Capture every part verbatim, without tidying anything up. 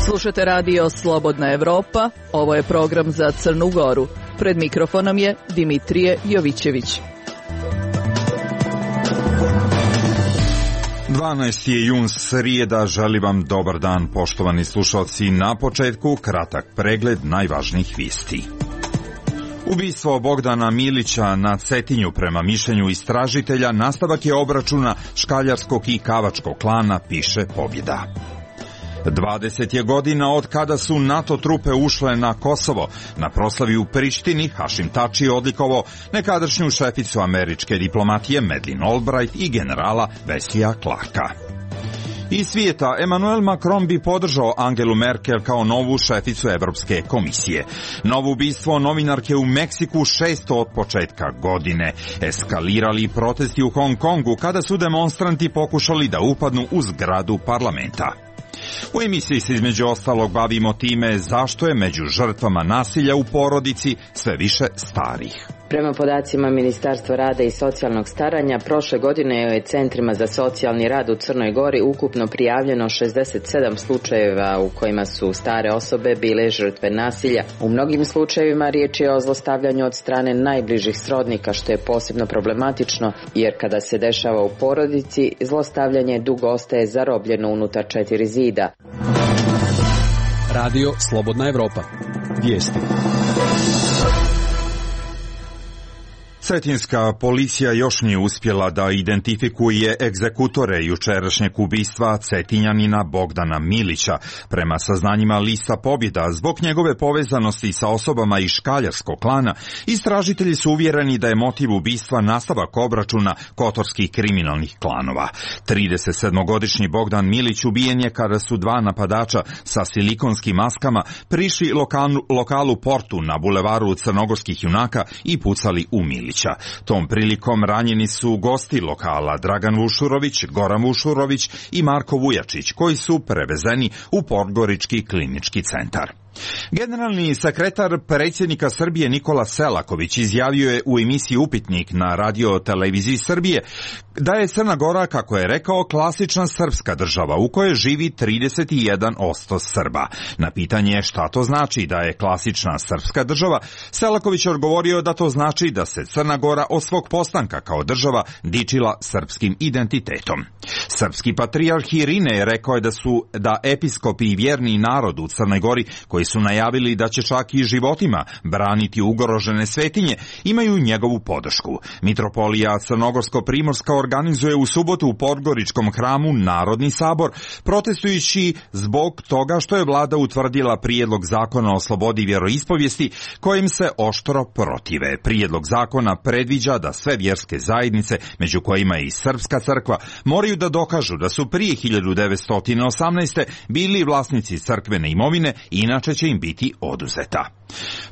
Slušate radio Slobodna Evropa, ovo je program za Crnu Goru. Pred mikrofonom je Dimitrije Jovićević. dvanaesti je jun, srijeda, želim vam dobar dan, poštovani slušalci. Na početku kratak pregled najvažnijih vijesti. Ubistvo Bogdana Milića na Cetinju, prema mišljenju istražitelja, nastavak je obračuna škaljarskog i kavačkog klana, piše Pobjeda. dvadeset je godina od kada su NATO trupe ušle na Kosovo. Na proslavi u Prištini Hašim Tači odlikovao nekadašnju šeficu američke diplomatije Madeleine Albright i generala Wesleyja Clarka. Iz svijeta, Emmanuel Macron bi podržao Angelu Merkel kao novu šeficu Evropske komisije. Novo ubistvo novinarke u Meksiku, šesto od početka godine. Eskalirali protesti u Hong Kongu kada su demonstranti pokušali da upadnu u zgradu parlamenta. U emisiji se između ostalog bavimo time zašto je među žrtvama nasilja u porodici sve više starih. Prema podacima Ministarstva rada i socijalnog staranja, prošle godine je centrima za socijalni rad u Crnoj Gori ukupno prijavljeno šezdeset sedam slučajeva u kojima su stare osobe bile žrtve nasilja. U mnogim slučajevima riječ je o zlostavljanju od strane najbližih srodnika, što je posebno problematično, jer kada se dešava u porodici, zlostavljanje dugo ostaje zarobljeno unutar četiri zida. Radio Slobodna Evropa. Vijesti. Cetinska policija još nije uspjela da identifikuje egzekutore jučerašnjeg ubistva Cetinjanina Bogdana Milića. Prema saznanjima lista Pobjeda, zbog njegove povezanosti sa osobama iz škaljarskog klana, istražitelji su uvjereni da je motiv ubistva nastavak obračuna kotorskih kriminalnih klanova. tridesetsedmogodišnji Bogdan Milić ubijen je kada su dva napadača sa silikonskim maskama prišli lokalu, lokalu Portu na bulevaru Crnogorskih junaka i pucali u Milića. Tom prilikom ranjeni su gosti lokala Dragan Vušurović, Goran Vušurović i Marko Vujačić, koji su prevezeni u Podgorički klinički centar. Generalni sekretar predsjednika Srbije Nikola Selaković izjavio je u emisiji Upitnik na radio televiziji Srbije da je Crna Gora, kako je rekao, klasična srpska država u kojoj živi trideset jedan posto Srba. Na pitanje šta to znači da je klasična srpska država, Selaković je odgovorio da to znači da se Crna Gora od svog postanka kao država dičila srpskim identitetom. Srpski patrijarh Irine je rekao da su da episkopi i vjerni narod u Crnoj Gori, koji su najavili da će čak i životima braniti ugrožene svetinje, imaju njegovu podršku. Mitropolija Crnogorsko-Primorska organizuje u subotu u Podgoričkom hramu Narodni sabor, protestujući zbog toga što je vlada utvrdila prijedlog zakona o slobodi vjeroispovijesti, kojim se oštro protive. Prijedlog zakona predviđa da sve vjerske zajednice, među kojima je i Srpska crkva, moraju da dokažu da su prije hiljadu devetsto osamnaeste. bili vlasnici crkvene imovine, inače će im biti oduzeta.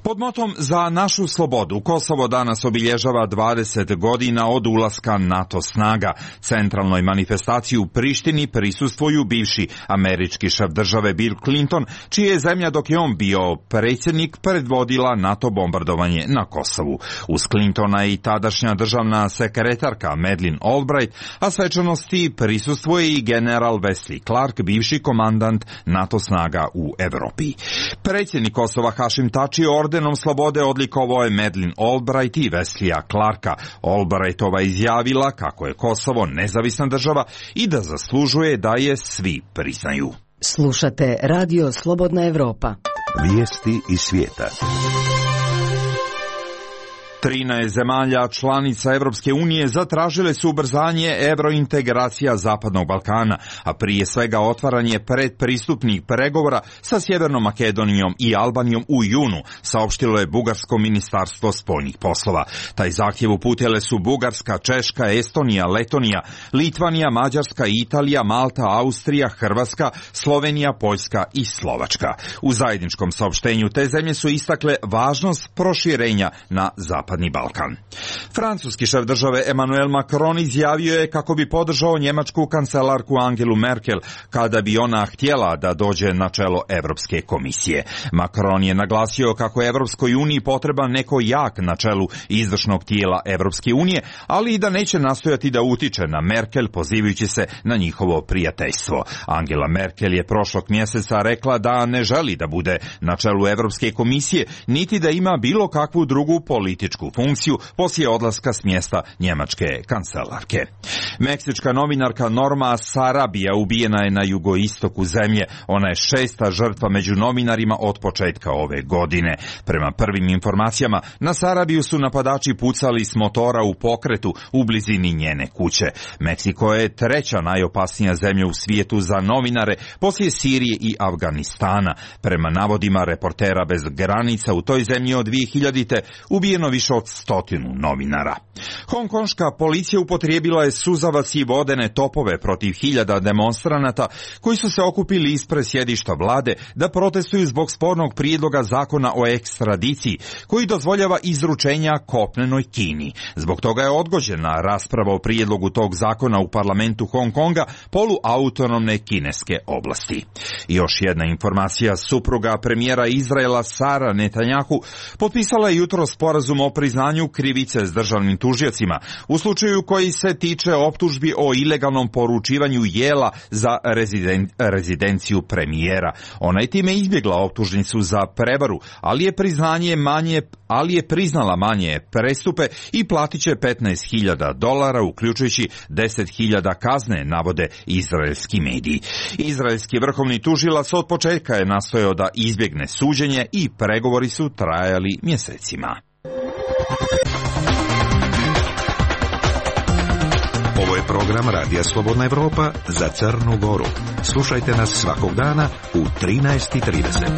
Pod motom Za našu slobodu, Kosovo danas obilježava dvadeset godina od ulaska NATO snaga. Centralnoj manifestaciji u Prištini prisustvuju bivši američki šef države Bill Clinton, čija je zemlja dok je on bio predsjednik predvodila NATO bombardovanje na Kosovu. Uz Clintona i tadašnja državna sekretarka Madeleine Albright, a svečanosti prisustvuje i general Wesley Clark, bivši komandant NATO snaga u Evropi. Predsjednik Kosova Hašim Tači ordenom slobode odlikovao je Madeleine Albright i Wesleyja Clarka. Albrightova izjavila kako je Kosovo nezavisna država i da zaslužuje da je svi priznaju. Slušate Radio Slobodna Evropa. Vijesti iz svijeta. trinaest zemalja članica Evropske unije zatražile su ubrzanje evrointegracija Zapadnog Balkana, a prije svega otvaranje predpristupnih pregovora sa Sjevernom Makedonijom i Albanijom u junu, saopštilo je Bugarsko ministarstvo spoljnih poslova. Taj zahtjev uputile su Bugarska, Češka, Estonija, Letonija, Litvanija, Mađarska, Italija, Malta, Austrija, Hrvatska, Slovenija, Poljska i Slovačka. U zajedničkom saopštenju te zemlje su istakle važnost proširenja na Zapadnog Zapadni Balkan. Francuski šef države Emmanuel Macron izjavio je kako bi podržao njemačku kancelarku Angelu Merkel kada bi ona htjela da dođe na čelo Evropske komisije. Macron je naglasio kako je Evropskoj uniji potreban neko jak na čelu izvršnog tijela Evropske unije, ali i da neće nastojati da utiče na Merkel pozivajući se na njihovo prijateljstvo. Angela Merkel je prošlog mjeseca rekla da ne želi da bude na čelu Evropske komisije, niti da ima bilo kakvu drugu političku funkciju poslije odlaska s mjesta njemačke kancelarke. Meksička novinarka Norma Sarabia ubijena je na jugoistoku zemlje. Ona je šesta žrtva među novinarima od početka ove godine. Prema prvim informacijama, na Sarabiju su napadači pucali s motora u pokretu u blizini njene kuće. Meksiko je treća najopasnija zemlja u svijetu za novinare poslije Sirije i Afganistana. Prema navodima Reportera bez granica, u toj zemlji od dvije hiljadite ubijeno više od stotinu novinara. Hongkonška policija upotrijebila je suzavac i vodene topove protiv hiljada demonstranata koji su se okupili ispred sjedišta vlade da protestuju zbog spornog prijedloga zakona o ekstradiciji koji dozvoljava izručenja kopnenoj Kini. Zbog toga je odgođena rasprava o prijedlogu tog zakona u parlamentu Hong Konga, poluautonomne kineske oblasti. I još jedna informacija, supruga premijera Izraela Sara Netanjahu potpisala je jutro sporazum o priznanju krivice s državnim tužiocima u slučaju koji se tiče optužbi o ilegalnom poručivanju jela za reziden, rezidenciju premijera. Ona je time izbjegla optužnicu za prevaru, ali je priznanje manje, ali je priznala manje prestupe i platit će petnaest hiljada dolara, uključujući deset hiljada kazne, navode izraelski mediji. Izraelski vrhovni tužilac od početka je nastojao da izbjegne suđenje i pregovori su trajali mjesecima. Ovo je program Radija Slobodna Evropa za Crnu Goru. Slušajte nas svakog dana u trinaest i trideset.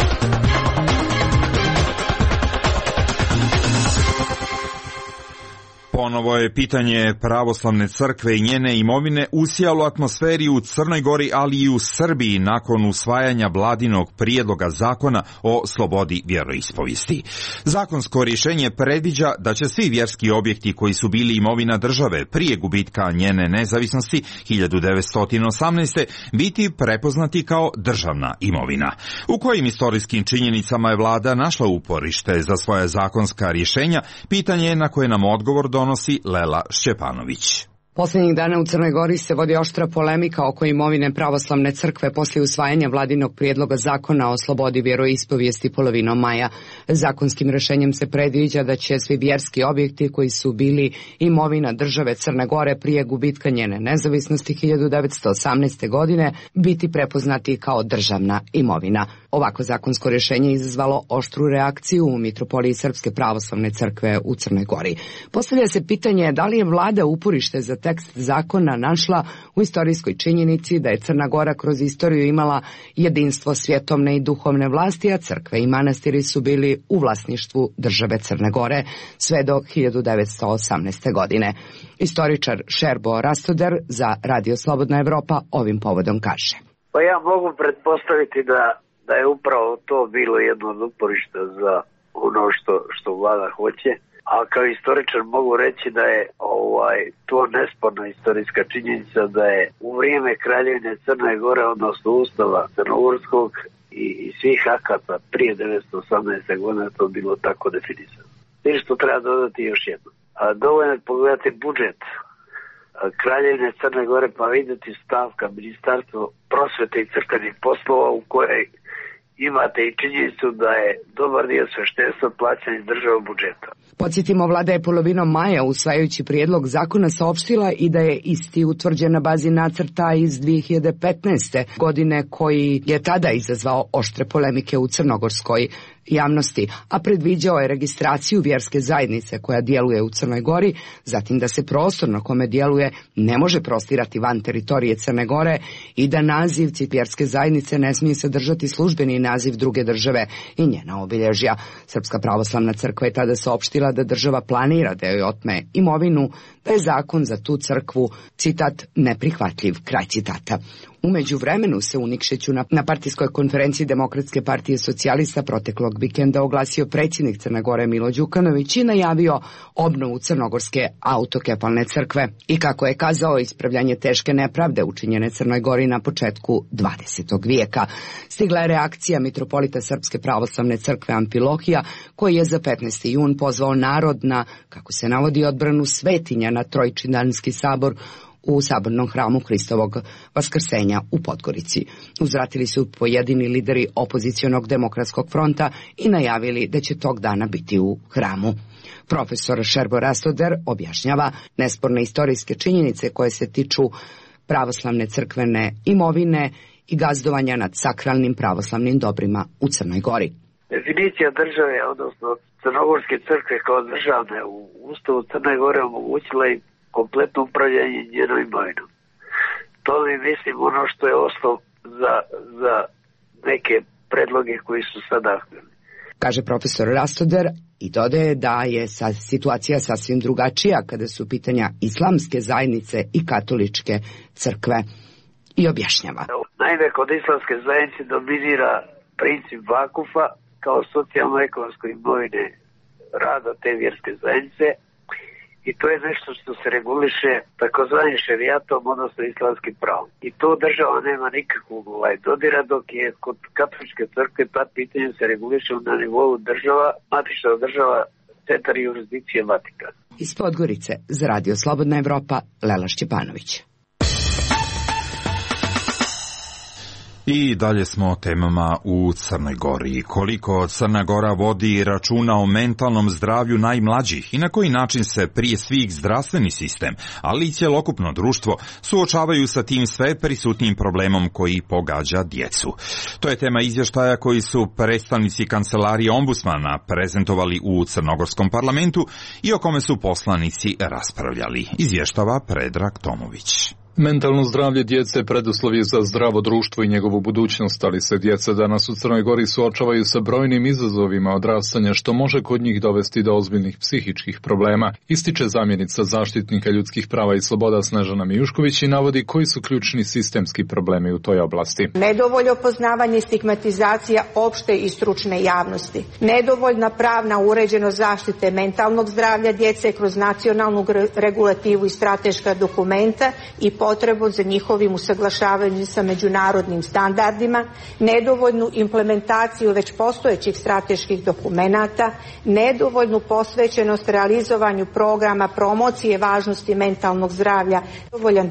Ponovo je pitanje pravoslavne crkve i njene imovine usijalo atmosferi u Crnoj Gori, ali i u Srbiji nakon usvajanja vladinog prijedloga zakona o slobodi vjeroispovijesti. Zakonsko rješenje predviđa da će svi vjerski objekti koji su bili imovina države prije gubitka njene nezavisnosti hiljadu devetsto osamnaeste. biti prepoznati kao državna imovina. U kojim istorijskim činjenicama je vlada našla uporište za svoja zakonska rješenja, pitanje je na koje nam odgovor donosi Lela Šćepanović. Posljednjih dana u Crnoj Gori se vodi oštra polemika oko imovine pravoslavne crkve poslije usvajanja vladinog prijedloga zakona o slobodi vjeroispovijesti polovinom maja. Zakonskim rješenjem se predviđa da će svi vjerski objekti koji su bili imovina države Crne Gore prije gubitka njene nezavisnosti hiljadu devetsto osamnaeste. godine biti prepoznati kao državna imovina. Ovako zakonsko rješenje je izazvalo oštru reakciju u Mitropoliji Srpske pravoslavne crkve u Crnoj Gori. Postavlja se pitanje da li je vlada uporište za tekst zakona našla u istorijskoj činjenici da je Crna Gora kroz istoriju imala jedinstvo svjetovne i duhovne vlasti, a crkve i manastiri su bili u vlasništvu države Crne Gore sve do hiljadu devetsto osamnaeste. godine. Istoričar Šerbo Rastoder za Radio Slobodna Evropa ovim povodom kaže. Pa ja mogu pretpostaviti da, da je upravo to bilo jedno od uporišta za ono što, što vlada hoće. A kao istoričar mogu reći da je ovaj, to nesporna istorijska činjenica da je u vrijeme kraljevine Crne Gore, odnosno Ustava Crnogorskog i, i svih akata prije devetsto osamnaeste. godine to bilo tako definisano. I što treba dodati još jedno. A, dovoljno je pogledati budžet a, kraljevine Crne Gore pa vidjeti stavka Ministarstvo prosvete i crkvenih poslova u kojoj imate i činjenicu da je dobar dio sveštenstva plaćan iz državnog budžeta. Podsjetimo, vlada je polovinom maja usvajajući prijedlog zakona saopštila i da je isti utvrđen na bazi nacrta iz dvije hiljade petnaeste. godine koji je tada izazvao oštre polemike u crnogorskoj javnosti, a predviđao je registraciju vjerske zajednice koja djeluje u Crnoj Gori, zatim da se prostor na kome djeluje ne može prostirati van teritorije Crne Gore i da naziv vjerske zajednice ne smije sadržati službeni naziv druge države i njena obilježja. Srpska pravoslavna crkva je tada saopštila da država planira da joj otme imovinu, da je zakon za tu crkvu, citat, neprihvatljiv, kraj citata. U međuvremenu se u Nikšiću na, na partijskoj konferenciji Demokratske partije socijalista proteklog vikenda oglasio predsjednik Crne Gore Milo Đukanović i najavio obnovu crnogorske autokefalne crkve i, kako je kazao, ispravljanje teške nepravde učinjene Crnoj Gori na početku dvadesetog vijeka. Stigla je reakcija mitropolita Srpske pravoslavne crkve Amfilohija, koji je za petnaesti jun pozvao narod na, kako se navodi, odbranu svetinja na Trojčidanski sabor u sabornom hramu Hristovog Vaskrsenja u Podgorici. Uzvratili su pojedini lideri opozicionog demokratskog fronta i najavili da će tog dana biti u hramu. Profesor Šerbo Rastoder objašnjava nesporne istorijske činjenice koje se tiču pravoslavne crkvene imovine i gazdovanja nad sakralnim pravoslavnim dobrima u Crnoj Gori. Definicija države, odnosno Crnogorske crkve kao državne u Ustavu Crne Gore omogućila i kompletno upravljanje njenom imovinom. To mi mislim ono što je osnov za, za neke predloge koji su sada aktualni. Kaže profesor Rastoder i dodaje da je sa situacija sasvim drugačija kada su pitanja islamske zajednice i katoličke crkve, i objašnjava. Naime, kod islamske zajednice dominira princip vakufa kao socijalno-ekonomsko imovine rada te vjerske zajednice, i to je nešto što se reguliše takozvanim šerijatom, odnosno islamskim pravom. I to država nema nikakvog ovaj dodira, dok je kod katoličke crkve ta pitanje se reguliše na nivou država, matična država, centar i jurisdikcije Vatikana. Iz Podgorice za Radio Slobodna Evropa, Lela Šćepanović. I dalje smo o temama u Crnoj Gori. Koliko Crna Gora vodi računa o mentalnom zdravlju najmlađih i na koji način se prije svih zdravstveni sistem, ali i cjelokupno društvo suočavaju sa tim sve prisutnim problemom koji pogađa djecu. To je tema izvještaja koji su predstavnici kancelarije ombudsmana prezentovali u Crnogorskom parlamentu i o kome su poslanici raspravljali. Izvještava Predrag Tomović. Mentalno zdravlje djece preduslov je za zdravo društvo i njegovu budućnost, ali se djeca danas u Crnoj Gori suočavaju sa brojnim izazovima odrastanja, što može kod njih dovesti do ozbiljnih psihičkih problema, ističe zamjenica zaštitnika ljudskih prava i sloboda Snežana Mijušković i navodi koji su ključni sistemski problemi u toj oblasti. Nedovoljno poznavanje i stigmatizacija opšte i stručne javnosti, nedovoljna pravna uređenost zaštite mentalnog zdravlja djece kroz nacionalnu regulativu i strateška dokumenta i potrebu za njihovim usaglašavanjem sa međunarodnim standardima, nedovoljnu implementaciju već postojećih strateških dokumenata, nedovoljnu posvećenost realizovanju programa promocije važnosti mentalnog zdravlja, nedovoljan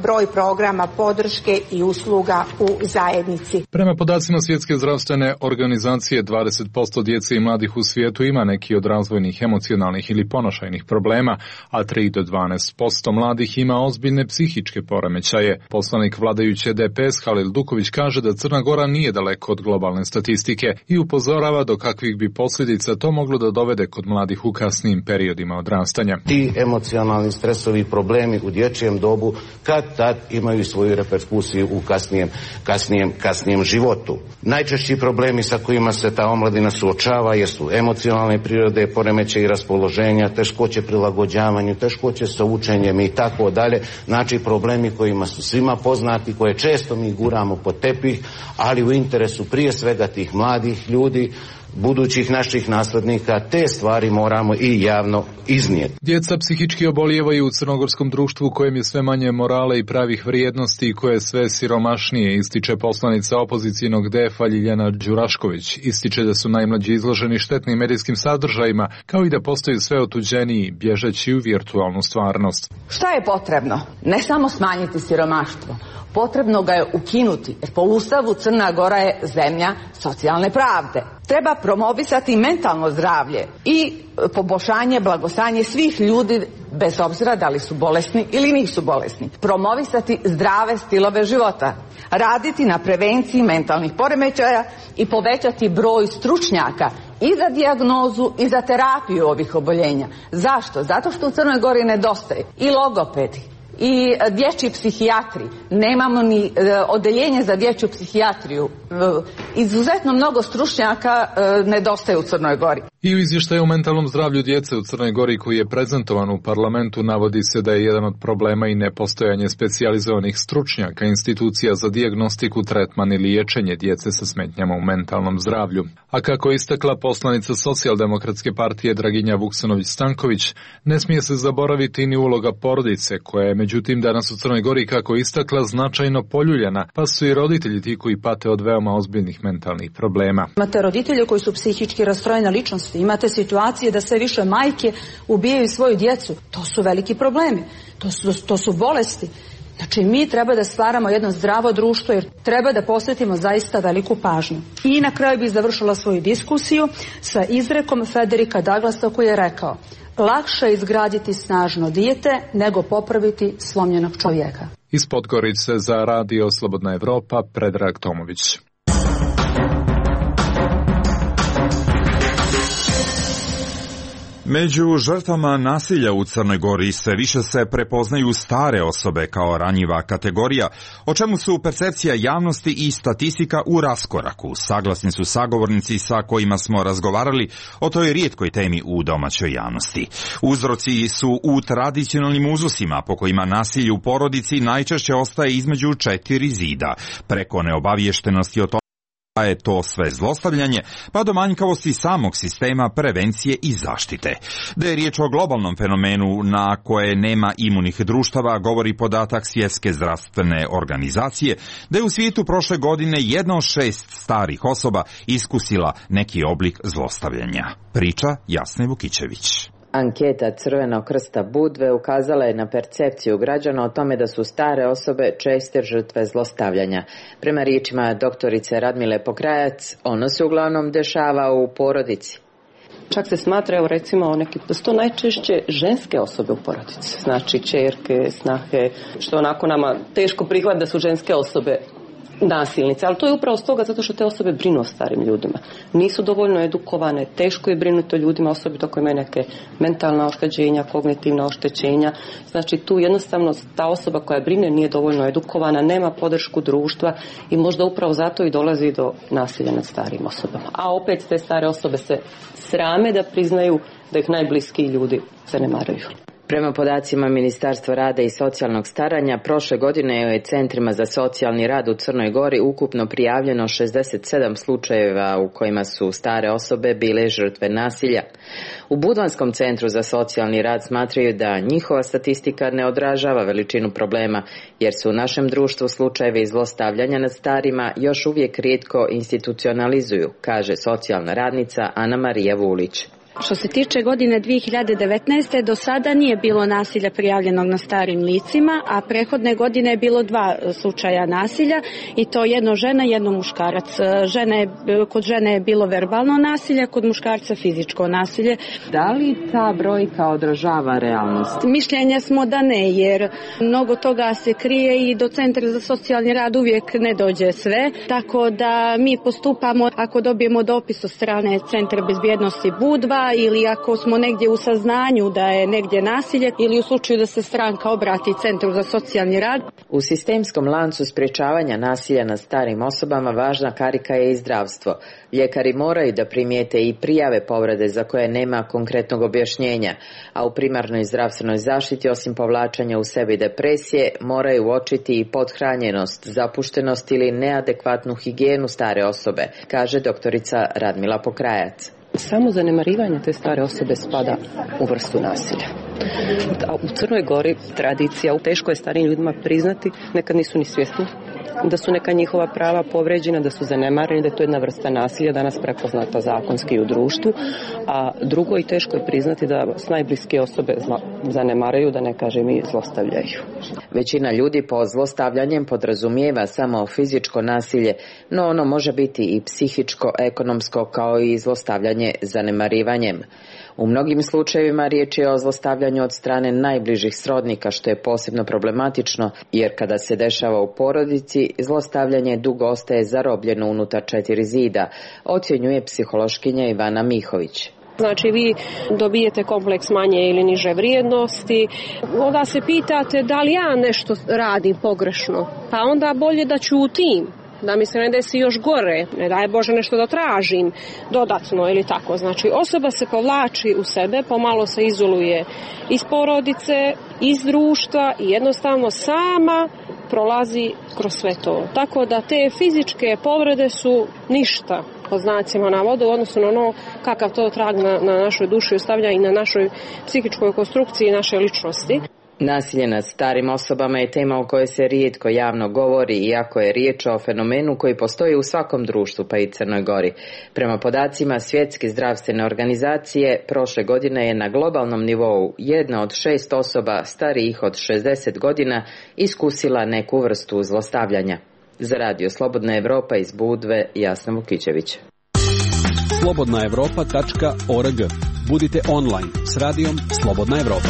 broj programa podrške i usluga u zajednici. Prema podacima Svjetske zdravstvene organizacije, dvadeset posto djece i mladih u svijetu ima neki od razvojnih, emocionalnih ili ponašajnih problema, a tri do dvanaest posto mladih ima ozbiljne psihičke poremećaje. Poslanik vladajuće D P S Halil Duković kaže da Crna Gora nije daleko od globalne statistike i upozorava do kakvih bi posljedica to moglo da dovede kod mladih u kasnijim periodima odrastanja. Ti emocionalni stresovi problemi u dječjem dobu kad tad imaju svoju reperkusiju u kasnijem, kasnijem, kasnijem životu. Najčešći problemi sa kojima se ta omladina suočava jesu emocionalne prirode, poremećaji raspoloženja, teškoće prilagođavanju, teškoće sa učenjem i tako dalje. Znači problemi kojima su svima poznati, koje često mi guramo pod tepih, ali u interesu prije svega tih mladih ljudi, budućih naših naslednika, te stvari moramo i javno iznijeti. Djeca psihički obolijevaju u crnogorskom društvu kojem je sve manje morale i pravih vrijednosti i koje je sve siromašnije, ističe poslanica opozicijnog D F-a Ljiljana Đurašković. Ističe da su najmlađi izloženi štetnim medijskim sadržajima, kao i da postaju sve otuđeniji, bježeći u virtualnu stvarnost. Šta je potrebno? Ne samo smanjiti siromaštvo, potrebno ga je ukinuti, jer po Ustavu Crna Gora je zemlja socijalne pravde. Treba promovisati mentalno zdravlje i poboljšanje, blagostanje svih ljudi, bez obzira da li su bolesni ili nisu bolesni. Promovisati zdrave stilove života, raditi na prevenciji mentalnih poremećaja i povećati broj stručnjaka i za dijagnozu i za terapiju ovih oboljenja. Zašto? Zato što u Crnoj Gori nedostaje i logopedi, i dječji psihijatri. Nemamo ni odeljenje za dječju psihijatriju. Izuzetno mnogo stručnjaka nedostaje u Crnoj Gori. I u izvještaju o mentalnom zdravlju djece u Crnoj Gori koji je prezentovan u parlamentu navodi se da je jedan od problema i nepostojanje specijalizovanih stručnjaka, institucija za dijagnostiku, tretman i liječenje djece sa smetnjama u mentalnom zdravlju. A kako je istakla poslanica Socijaldemokratske partije Draginja Vuksanović-Stanković, ne smije se zaboraviti ni uloga porodice, koja je međutim danas u Crnoj Gori, kako je istakla, značajno poljuljana, pa su i roditelji ti koji pate od veoma ozbiljnih mentalnih problema. Imate roditelje koji su psihički rastrojene ličnosti, imate situacije da sve više majke ubijaju svoju djecu. To su veliki problemi, to su, to su bolesti. Znači mi treba da stvaramo jedno zdravo društvo jer treba da posvetimo zaista veliku pažnju. I na kraju bih završila svoju diskusiju sa izrekom Federika Douglasa koji je rekao: lakše je izgraditi snažno dijete nego popraviti slomljenog čovjeka. Iz Podgorice za Radio Slobodna Evropa, Predrag Tomović. Među žrtvama nasilja u Crnoj Gori sve više se prepoznaju stare osobe kao ranjiva kategorija, o čemu su percepcija javnosti i statistika u raskoraku. Saglasni su sagovornici sa kojima smo razgovarali o toj rijetkoj temi u domaćoj javnosti. Uzroci su u tradicionalnim uzusima po kojima nasilje u porodici najčešće ostaje između četiri zida, preko neobaviještenosti o tome je to sve zlostavljanje, pa do manjkavosti samog sistema prevencije i zaštite. Da je riječ o globalnom fenomenu na koje nema imunih društava, govori podatak Svjetske zdravstvene organizacije, da je u svijetu prošle godine jedna od šest starih osoba iskusila neki oblik zlostavljanja. Priča Jasne Vukićević. Anketa Crvenog krsta Budve ukazala je na percepciju građana o tome da su stare osobe česte žrtve zlostavljanja. Prema riječima doktorice Radmile Pokrajac, ono se uglavnom dešava u porodici. Čak se smatra, evo recimo, neki, da su to najčešće ženske osobe u porodici. Znači ćerke, snahe, što onako nama teško prihvat da su ženske osobe nasilnice, ali to je upravo stoga zato što te osobe brinu o starim ljudima. Nisu dovoljno edukovane, teško je brinuti o ljudima, osobito koji imaju neke mentalna oštećenja, kognitivna oštećenja. Znači tu jednostavno ta osoba koja brine nije dovoljno edukovana, nema podršku društva i možda upravo zato i dolazi do nasilja nad starim osobama. A opet te stare osobe se srame da priznaju da ih najbliskiji ljudi zanemaruju. Prema podacima Ministarstva rada i socijalnog staranja, prošle godine je u centrima za socijalni rad u Crnoj Gori ukupno prijavljeno šezdeset sedam slučajeva u kojima su stare osobe bile žrtve nasilja. U Budvanskom centru za socijalni rad smatraju da njihova statistika ne odražava veličinu problema, jer su u našem društvu slučajevi zlostavljanja nad starima još uvijek rijetko institucionalizuju, kaže socijalna radnica Ana Marija Vulić. Što se tiče godine dvije hiljade devetnaeste. do sada nije bilo nasilja prijavljenog na starim licima, a prethodne godine je bilo dva slučaja nasilja i to jedno žena, jedno muškarac. Žene, kod žene je bilo verbalno nasilje, kod muškarca fizičko nasilje. Da li ta brojka odražava realnost? Mišljenja smo da ne, jer mnogo toga se krije i do Centra za socijalni rad uvijek ne dođe sve, tako da mi postupamo ako dobijemo dopis od strane Centra bezbjednosti Budva ili ako smo negdje u saznanju da je negdje nasilje ili u slučaju da se stranka obrati Centru za socijalni rad. U sistemskom lancu sprječavanja nasilja nad starim osobama važna karika je i zdravstvo. Ljekari moraju da primijete i prijave povrede za koje nema konkretnog objašnjenja, a u primarnoj zdravstvenoj zaštiti osim povlačenja u sebi depresije moraju uočiti i pothranjenost, zapuštenost ili neadekvatnu higijenu stare osobe, kaže doktorica Radmila Pokrajac. Samo zanemarivanje te stare osobe spada u vrstu nasilja. A u Crnoj Gori tradicija, teško je starijim ljudima priznati, nekad nisu ni svjesni da su neka njihova prava povređena, da su zanemareni, da je to jedna vrsta nasilja danas prepoznata zakonski u društvu, a drugo i teško je priznati da s najbliske osobe zanemaraju, da ne kažem i zlostavljaju. Većina ljudi po zlostavljanjem podrazumijeva samo fizičko nasilje, no ono može biti i psihičko, ekonomsko kao i zlostavljanje zanemarivanjem. U mnogim slučajevima riječ je o zlostavljanju od strane najbližih srodnika, što je posebno problematično, jer kada se dešava u porodici, zlostavljanje dugo ostaje zarobljeno unutar četiri zida, ocjenjuje psihološkinja Ivana Mihović. Znači vi dobijete kompleks manje ili niže vrijednosti, onda se pitate da li ja nešto radim pogrešno, pa onda bolje da ćutim, da mi se ne desi još gore, ne daj Bože nešto da tražim dodatno ili tako. Znači osoba se povlači u sebe, pomalo se izoluje iz porodice, iz društva i jednostavno sama prolazi kroz sve to. Tako da te fizičke povrede su ništa pod znacima navoda u odnosu na ono kakav to trag na, na našoj duši ostavlja i na našoj psihičkoj konstrukciji naše ličnosti. Nasilje nad starim osobama je tema o kojoj se rijetko javno govori, iako je riječ o fenomenu koji postoji u svakom društvu, pa i Crnoj Gori. Prema podacima Svjetske zdravstvene organizacije, prošle godine je na globalnom nivou jedna od šest osoba starijih od šezdeset godina iskusila neku vrstu zlostavljanja. Za radio Slobodna Evropa iz Budve, Jasna Vukićević. slobodna evropa tačka org. Budite online s radijom Slobodna Evropa.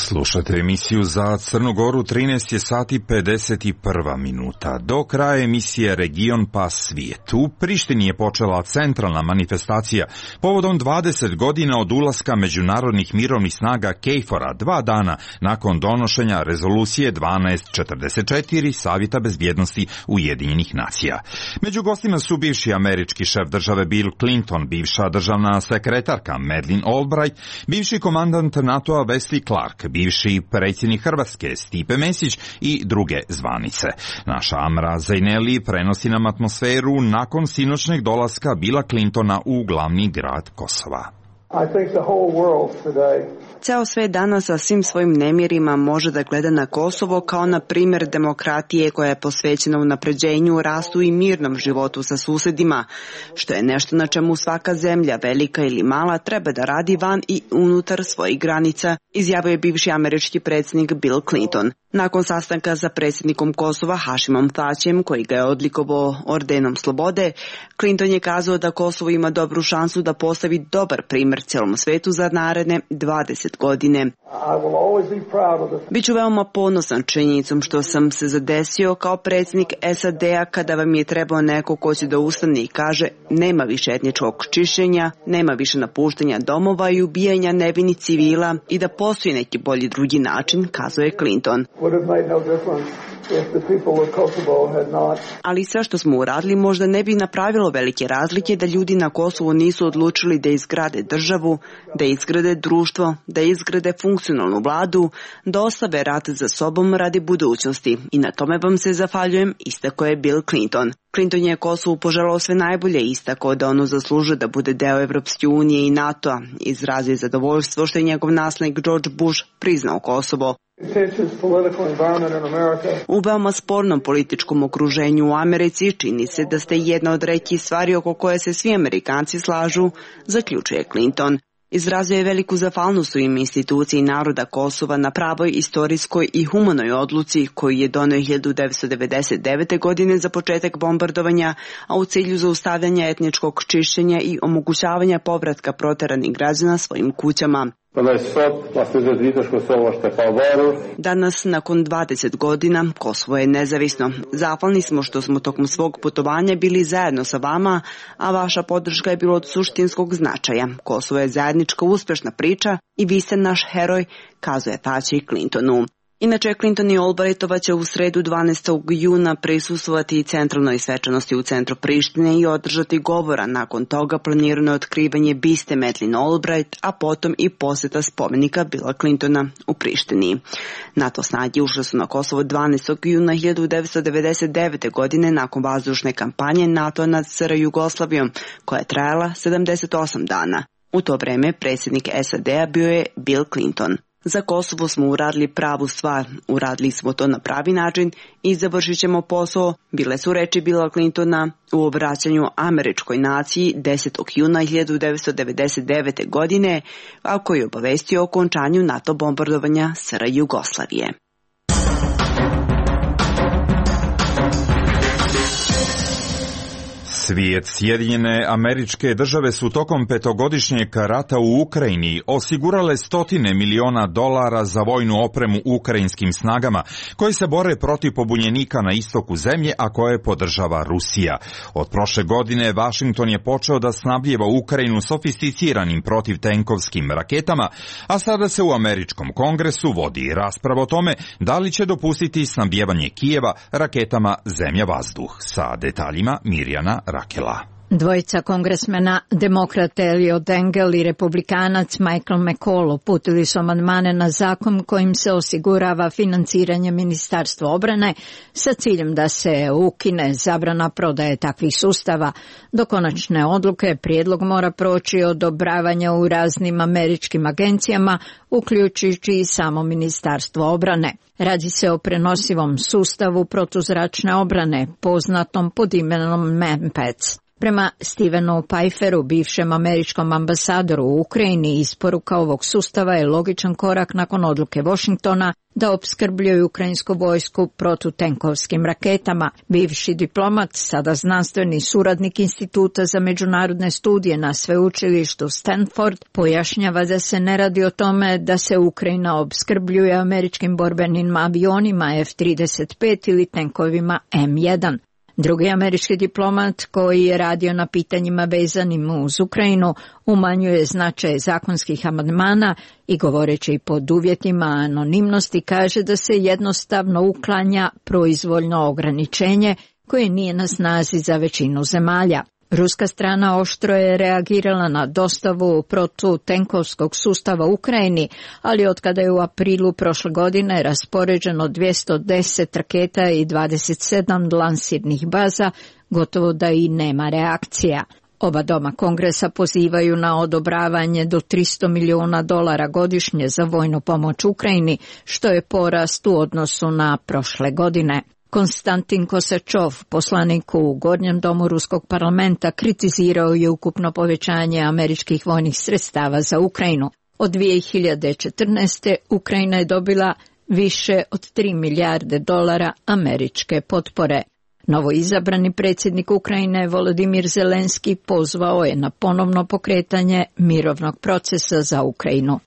Slušate emisiju za Crnu Goru, trinaest je sati pedeset jedna minuta. Do kraja emisije Region pa svijet. U Prištini je počela centralna manifestacija povodom dvadeset godina od ulaska međunarodnih mirovnih snaga KFOR-a, dva dana nakon donošenja rezolucije dvanaest četrdeset četiri Savjeta bezbjednosti Ujedinjenih nacija. Među gostima su bivši američki šef države Bill Clinton, bivša državna sekretarka Madeleine Albright, bivši komandant NATO-a Wesley Clark, bivši predsjednik Hrvatske Stipe Mesić i druge zvanice. Naša Amra Zajneli prenosi nam atmosferu nakon sinoćnjeg dolaska Billa Clintona u glavni grad Kosova. Ceo svet danas sa svim svojim nemirima može da gleda na Kosovo kao na primjer demokratije koja je posvećena unapređenju, rastu i mirnom životu sa susedima, što je nešto na čemu svaka zemlja, velika ili mala, treba da radi van i unutar svojih granica, izjavio je bivši američki predsjednik Bill Clinton. Nakon sastanka sa predsjednikom Kosova Hašimom Tačijem, koji ga je odlikovao ordenom slobode, Clinton je kazao da Kosovo ima dobru šansu da postavi dobar primjer celom svetu za naredne dvadeset godine. Biću veoma ponosan činjenicom što sam se zadesio kao predsjednik S A D-a kada vam je trebao neko ko će da ustane i kaže nema više etničkog čišćenja, nema više napuštanja domova i ubijanja nevinih civila i da postoji neki bolji drugi način, kazao je Clinton. Ali sve što smo uradili možda ne bi napravilo velike razlike da ljudi na Kosovu nisu odlučili da izgrade državu, da izgrade društvo, da izgrade funkcionalnu vladu, da ostave rat za sobom radi budućnosti i na tome vam se zahvaljujem, istako je Bill Clinton. Clinton je Kosovu poželao sve najbolje, istako da ono zaslužuje da bude deo Evropske unije i NATO-a, izrazio zadovoljstvo što je njegov naslednik George Bush priznao Kosovo. U veoma spornom političkom okruženju u Americi čini se da ste jedna od retkih stvari oko koje se svi Amerikanci slažu, zaključuje Clinton. Izrazio je veliku zahvalnost u ime instituciji naroda Kosova na pravoj, istorijskoj i humanoj odluci koju je doneo hiljadu devetsto devedeset devete. godine za početak bombardovanja, a u cilju zaustavljanja etničkog čišćenja i omogućavanja povratka proteranih građana svojim kućama. Danas, nakon dvadeset godina, Kosovo je nezavisno. Zahvalni smo što smo tokom svog putovanja bili zajedno sa vama, a vaša podrška je bila od suštinskog značaja. Kosovo je zajednička uspješna priča i vi ste naš heroj, kazuje Tači Clintonu. Inače, Clinton i Albrightova će u sredu dvanaestog juna prisustvovati centralnoj svečanosti u centru Prištine i održati govora. Nakon toga planirano je otkrivanje biste Madeleine Albright, a potom i posjeta spomenika Billa Clintona u Prištini. NATO snage ušle su na Kosovo dvanaestog juna hiljadu devetsto devedeset devete. godine nakon vazdušne kampanje NATO nad S R Jugoslavijom, koja je trajala sedamdeset osam dana. U to vreme predsjednik S A D-a bio je Bill Clinton. Za Kosovo smo uradili pravu stvar, uradili smo to na pravi način i završit ćemo posao, bile su reči Billa Clintona u obraćanju američkoj naciji desetog juna hiljadu devetsto devedeset devete. godine, a koji je obavestio o okončanju NATO bombardovanja S R Jugoslavije. Svijet. Sjedinjene Američke Države su tokom petogodišnjeg rata u Ukrajini osigurale stotine miliona dolara za vojnu opremu ukrajinskim snagama koje se bore protiv pobunjenika na istoku zemlje, a koje podržava Rusija. Od prošle godine Vašington je počeo da snabdijeva Ukrajinu sofisticiranim protivtenkovskim raketama, a sada se u Američkom kongresu vodi rasprava o tome da li će dopustiti snabdijevanje Kijeva raketama zemlja-vazduh. Sa detaljima Mirjana Rakela. Dvojica kongresmena, demokrat Eliot Engel i republikanac Michael McCall, uputili su amandmane na zakon kojim se osigurava financiranje Ministarstva obrane sa ciljem da se ukine zabrana prodaje takvih sustava. Do konačne odluke prijedlog mora proći odobravanja u raznim američkim agencijama, uključujući i samo Ministarstvo obrane. Radi se o prenosivom sustavu protuzračne obrane, poznatom pod imenom MANPADS. Prema Stevenu Pfeifferu, bivšem američkom ambasadoru u Ukrajini, isporuka ovog sustava je logičan korak nakon odluke Washingtona da opskrbljuje ukrajinsku vojsku protutenkovskim raketama. Bivši diplomat, sada znanstveni suradnik Instituta za međunarodne studije na sveučilištu Stanford, pojašnjava da se ne radi o tome da se Ukrajina opskrbljuje američkim borbenim avionima F trideset pet ili tenkovima M jedan. Drugi američki diplomat koji je radio na pitanjima vezanim uz Ukrajinu umanjuje značaj zakonskih amandmana i govoreći pod uvjetima anonimnosti kaže da se jednostavno uklanja proizvoljno ograničenje koje nije na snazi za većinu zemalja. Ruska strana oštro je reagirala na dostavu protutenkovskog sustava Ukrajini, ali otkada je u aprilu prošle godine raspoređeno dvjesto deset raketa i dvadeset sedam lansirnih baza, gotovo da i nema reakcija. Oba doma kongresa pozivaju na odobravanje do tristo milijuna dolara godišnje za vojnu pomoć Ukrajini, što je porast u odnosu na prošle godine. Konstantin Kosačov, poslanik u Gornjem domu Ruskog parlamenta, kritizirao je ukupno povećanje američkih vojnih sredstava za Ukrajinu. Od dvije hiljade četrnaeste. Ukrajina je dobila više od tri milijarde dolara američke potpore. Novoizabrani predsjednik Ukrajine Volodimir Zelenski pozvao je na ponovno pokretanje mirovnog procesa za Ukrajinu.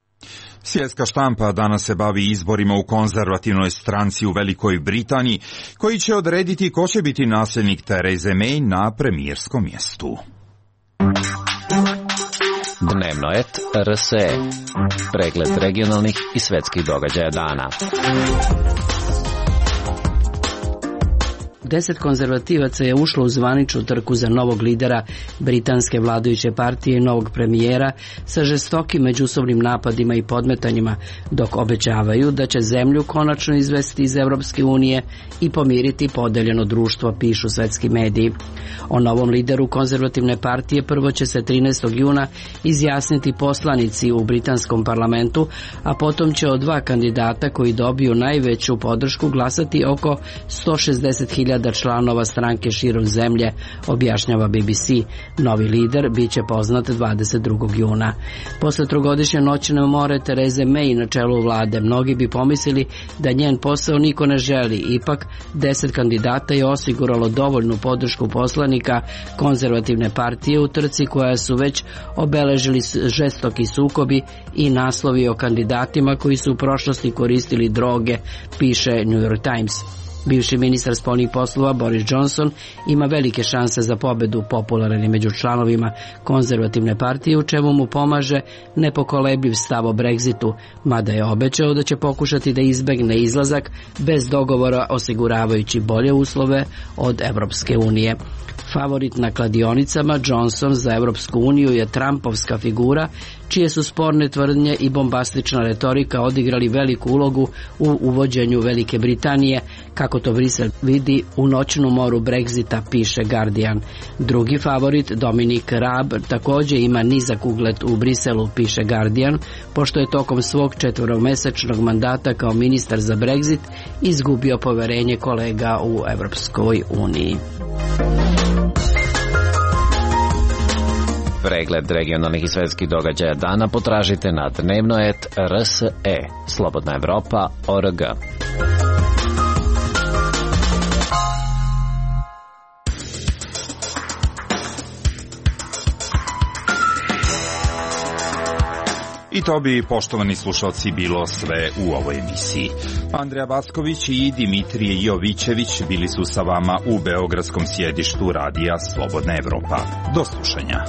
Svjetska štampa danas se bavi izborima u konzervativnoj stranci u Velikoj Britaniji, koji će odrediti ko će biti nasljednik Therese May na premijerskom mjestu. Dnevno et R S E. Pregled regionalnih i svjetskih događaja dana. Deset konzervativaca je ušlo u zvaničnu trku za novog lidera britanske vladajuće partije i novog premijera sa žestokim međusobnim napadima i podmetanjima, dok obećavaju da će zemlju konačno izvesti iz Europske unije i pomiriti podeljeno društvo, pišu svetski mediji. O novom lideru konzervativne partije prvo će se trinaestog juna izjasniti poslanici u britanskom parlamentu, a potom će od dva kandidata koji dobiju najveću podršku glasati oko sto šezdeset hiljada članova stranke širom zemlje, objašnjava B B C. Novi lider bit će poznat dvadeset drugog juna. Posle trogodišnje noćne more Therese May na čelu vlade, mnogi bi pomislili da njen posao niko ne želi. Ipak, deset kandidata je osiguralo dovoljnu podršku poslanika konzervativne partije u trci koja su već obeležili žestoki sukobi i naslovi o kandidatima koji su u prošlosti koristili droge, piše New York Times. Bivši ministar spoljnih poslova Boris Johnson ima velike šanse za pobedu, popularan je među članovima konzervativne partije, u čemu mu pomaže nepokolebljiv stav o Brexitu, mada je obećao da će pokušati da izbegne izlazak bez dogovora, osiguravajući bolje uslove od Evropske unije. Favorit na kladionicama, Johnson za Evropsku uniju je Trumpovska figura, čije su sporne tvrdnje i bombastična retorika odigrali veliku ulogu u uvođenju Velike Britanije, kako to Brisel vidi u noćnom moru Brexita, piše Guardian. Drugi favorit, Dominic Raab, također ima nizak ugled u Briselu, piše Guardian, pošto je tokom svog četvoromesečnog mandata kao ministar za Brexit izgubio poverenje kolega u Evropskoj uniji. Pregled regionalnih i svjetskih događaja dana potražite na dnevno et R S E, Slobodna Evropa, O R G. I to bi, poštovani slušalci, bilo sve u ovoj emisiji. Andreja Vasković i Dimitrije Jovićević bili su sa vama u beogradskom sjedištu radija Slobodna Evropa. Do slušanja.